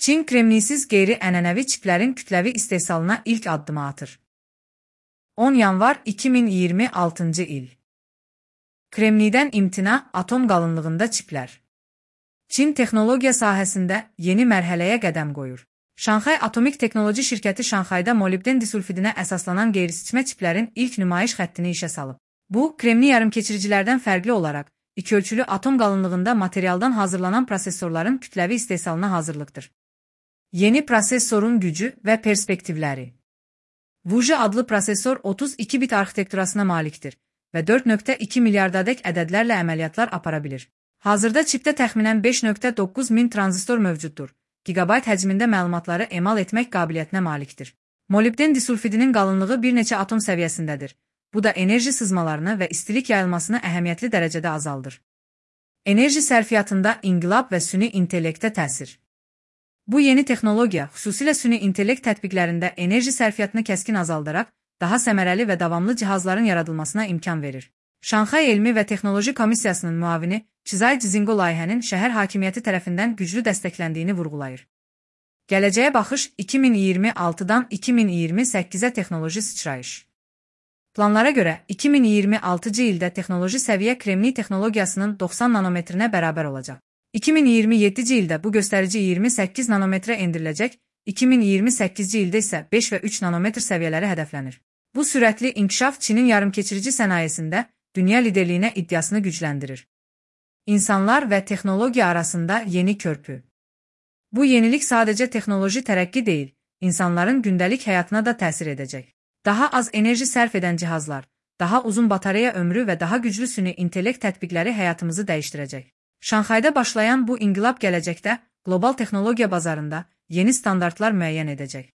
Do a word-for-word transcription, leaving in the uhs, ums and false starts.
Çin kremniysiz qeyri-ənənəvi çiplərin kütləvi istehsalına ilk addımı atır. on yanvar iki min iyirmi altıncı il. Kremniydən imtina, atom qalınlığında çiplər. Çin texnologiya sahəsində yeni mərhələyə qədəm qoyur. Şanxay Atomik Texnoloji şirkəti Şanxayda molibden disulfidinə əsaslanan qeyri-seçmə çiplərin ilk nümayiş xəttini işə salıb. Bu, kremni yarımkeçiricilərdən fərqli olaraq, iki-ölçülü atom qalınlığında materialdan hazırlanan prosesorların kütləvi istehsalına hazırlıqdır. Yeni prosesorun gücü və perspektivləri. Wuxi adlı prosesor otuz iki bit arxitekturasına malikdir və dörd nöqtə iki milyardadək ədədlərlə əməliyyatlar apara bilir. Hazırda çipdə təxminən beş nöqtə doqquz min tranzistor mövcuddur. Gigabayt həcmində məlumatları emal etmək qabiliyyətinə malikdir. Molibden disulfidinin qalınlığı bir neçə atom səviyyəsindədir. Bu da enerji sızmalarını və istilik yayılmasını əhəmiyyətli dərəcədə azaldır. Enerji sərfiyyatında inqilab və süni intellektə təsir. Bu yeni texnologiya, xüsusilə süni intellekt tətbiqlərində enerji sərfiyyatını kəskin azaldaraq, daha səmərəli və davamlı cihazların yaradılmasına imkan verir. Şanxay Elmi və Texnoloji Komissiyasının müavini Çizay Cizingo layihənin şəhər hakimiyyəti tərəfindən güclü dəstəkləndiyini vurğulayır. Gələcəyə baxış iki min iyirmi altıdan iki min iyirmi səkkizə texnoloji sıçrayış. Planlara görə iki min iyirmi altıncı ildə texnoloji səviyyə kremniy texnologiyasının doxsan nanometrinə bərabər olacaq. iki min iyirmi yeddinci ildə bu göstərici iyirmi səkkiz nanometrə endiriləcək, iki min iyirmi səkkizinci ildə isə beş və üç nanometr səviyyələri hədəflənir. Bu sürətli inkişaf Çinin yarımkeçirici sənayesində dünya liderliyinə iddiasını gücləndirir. İnsanlar və texnologiya arasında yeni körpü. Bu yenilik sadəcə texnoloji tərəqqi deyil, insanların gündəlik həyatına da təsir edəcək. Daha az enerji sərf edən cihazlar, daha uzun batareya ömrü və daha güclü süni intellekt tətbiqləri həyatımızı dəyişdirəcək. Şanxayda başlayan bu inqilab gələcəkdə qlobal texnologiya bazarında yeni standartlar müəyyən edəcək.